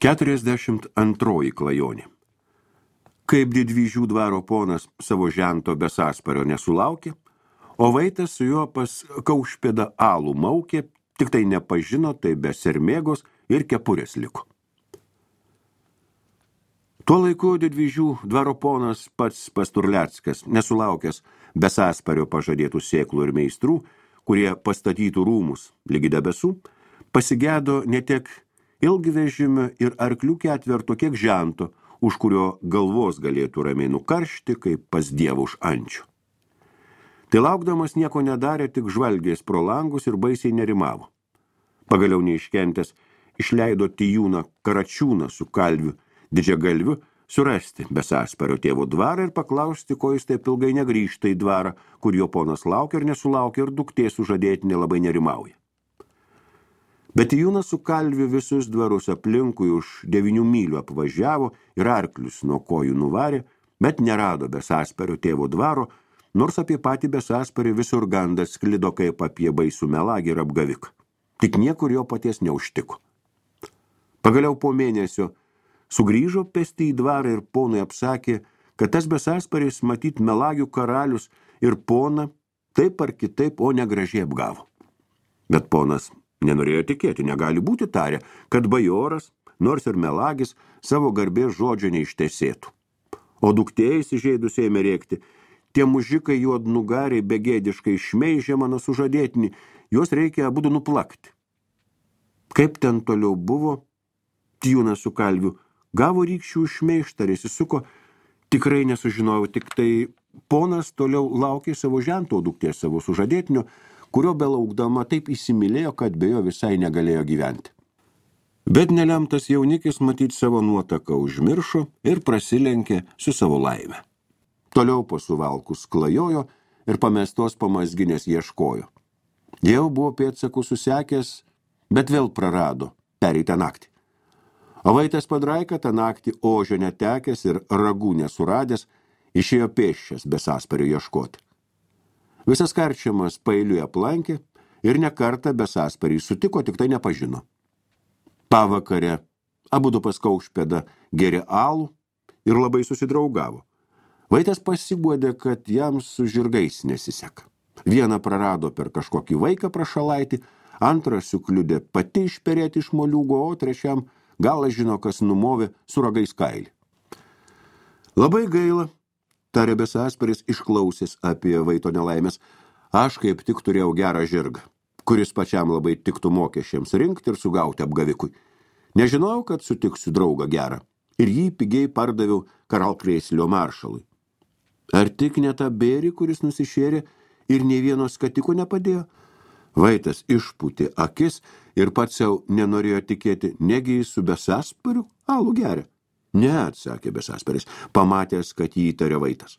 42 klajonė. Kaip Didvyžių dvaro ponas savo žento be sąspario nesulaukė, o Vaitas su juo pas Kaušpėdą alų maukė, tik tai nepažino, tai be sermėgos ir kepurės liko. Tuo laiku Didvyžių dvaro ponas pats Pasturleckas, nesulaukęs be sąspario pažadėtų sėklų ir meistrų, kurie pastatytų rūmus lygi debesų, pasigėdo ne tiek ilgvežimio ir arklių ketverto, kiek žento, už kurio galvos galėtų ramiai nukaršti, kaip pas dievą už ančių. Tai laukdamas nieko nedarė, tik žvalgės pro langus ir baisiai nerimavo. Pagaliau neiškentęs išleido Tijūną Karačiūną su kalviu Didžiagalviu surasti be sąspario tėvo dvarą ir paklausti, ko jis taip ilgai negrįžta į dvarą, kur jo ponas laukia ir nesulaukia ir duktė sužadėtinė labai nerimauja. Bet Tijūnas su kalviu visus dvarus aplinkui už 9 mylių apvažiavo ir arklius nuo kojų nuvarė, bet nerado be sąspario tėvo dvaro, nors apie patį be sąsparį visur gandas sklido kaip apie baisų melagį ir apgaviką. Tik niekur jo paties neužtiko. Pagaliau po mėnesio sugrįžo pėsti į dvarą ir ponui apsakė, kad tas be sąsparis matyt melagių karalius ir poną taip ar kitaip, o negražiai apgavo. Bet ponas nenorėjo tikėti, negali būti tarę, kad bajoras, nors ir melagis, savo garbės žodžio neištesėtų. O duktė įsižeidus ėmė rėkti, tie mužikai juodnugariai begėdiškai šmeižė mano sužadėtinį, juos reikia abudu nuplakti. Kaip ten toliau buvo, Tijūnas su kalviu gavo rykščių šmeištą ir įsisuko, tikrai nesužinojau, tik tai ponas toliau laukė savo žento duktės, savo sužadėtinio, kurio belaukdama taip įsimylėjo, kad be jo visai negalėjo gyventi. Bet nelemtas jaunikis matyt savo nuotaką užmiršo ir prasilenkė su savo laime. Toliau po suvalkus klajojo ir pamestos pamazginės ieškojo. Jau buvo pėdsakų susekęs, bet vėl prarado pereitą naktį. O Vaitas Padraika tą naktį ožio netekęs ir ragų nesuradęs, išėjo pėsčias be sąspario ieškoti. Visas karčiamas pailiui aplankė ir ne kartą be sąsparį sutiko, tik tai nepažino. Pavakare abudu pas Kaušpėdą gėrė alų ir labai susidraugavo. Vaitas pasiguodė, kad jam su žirgais nesiseka. Vieną prarado per kažkokį vaiką prašalaitį, antrą sukliudė pati išperėti iš moliūgo, o trečiam galas žino, kas numovė su ragais kailį. Labai gaila, tarė be sąsparis išklausęs apie Vaito nelaimės, aš kaip tik turėjau gerą žirgą, kuris pačiam labai tiktų mokesčiams rinkti ir sugauti apgavikui. Nežinojau, kad sutiksiu draugą gerą ir jį pigiai pardaviau Karalkrėslio maršalui. Ar tik ne tą bėrį, kuris nusišėrė ir nei vieno skatiko nepadėjo? Vaitas išpūtė akis ir pats jau nenorėjo tikėti, negi jis su be sąspariu alų geria. Ne, atsakė be sąsparis, pamatęs, kad jį įtarė Vaitas.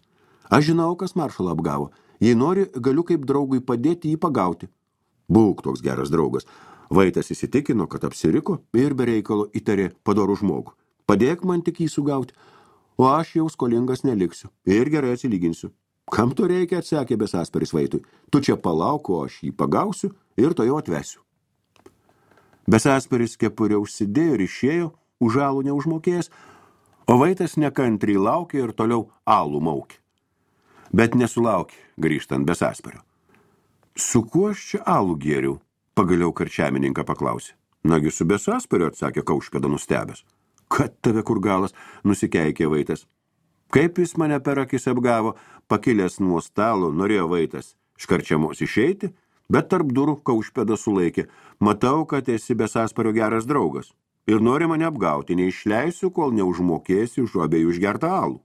Aš žinau, kas maršalą apgavo. Jei nori, galiu kaip draugui padėti jį pagauti. Būk toks geras draugas. Vaitas įsitikino, kad apsiriko ir be reikalo įtarė padorų žmogų. Padėk man tik jį sugauti, o aš jau skolingas neliksiu ir gerai atsilyginsiu. Kam to reikia, atsakė be sąsparis Vaitui. Tu čia palauk, o aš jį pagausiu ir to jau atvesiu. Be sąsparis kepurę užsidėjo ir išėjo, už alų neužmokėjęs, o Vaitas nekantriai laukė ir toliau alų maukė. Bet nesulaukė, grįžtant be sąspario. Su kuo aš čia alų gėriau? Pagaliau karčiamininką paklausė. Nagi su be sąspario, atsakė Kaušpėda nustebęs. Kad tave kur galas, nusikeikė Vaitas. Kaip jis mane per akis apgavo, pakilęs nuo stalo, norėjo Vaitas škarčiamos išeiti, bet tarp durų Kaušpėda sulaikė. Matau, kad esi be sąspario geras draugas. Ir nori mane apgauti, neišleisiu, kol neužmokėsi už abiejų išgertą alų.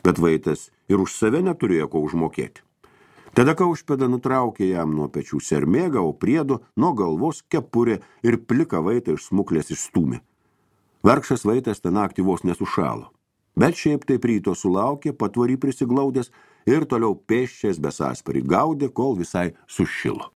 Bet Vaitas ir už save neturėjo ko užmokėti. Tada Kaušpėda nutraukė jam nuo pečių sermėgą, o priedo nuo galvos kepurė ir plika Vaitą iš smuklės išstūmė. Vargšas Vaitas tą naktį vos nesušalo. Bet šiaip taip ryto sulaukė, patvorį prisiglaudęs ir toliau pėsčias be sąsparį gaudė, kol visai sušilo.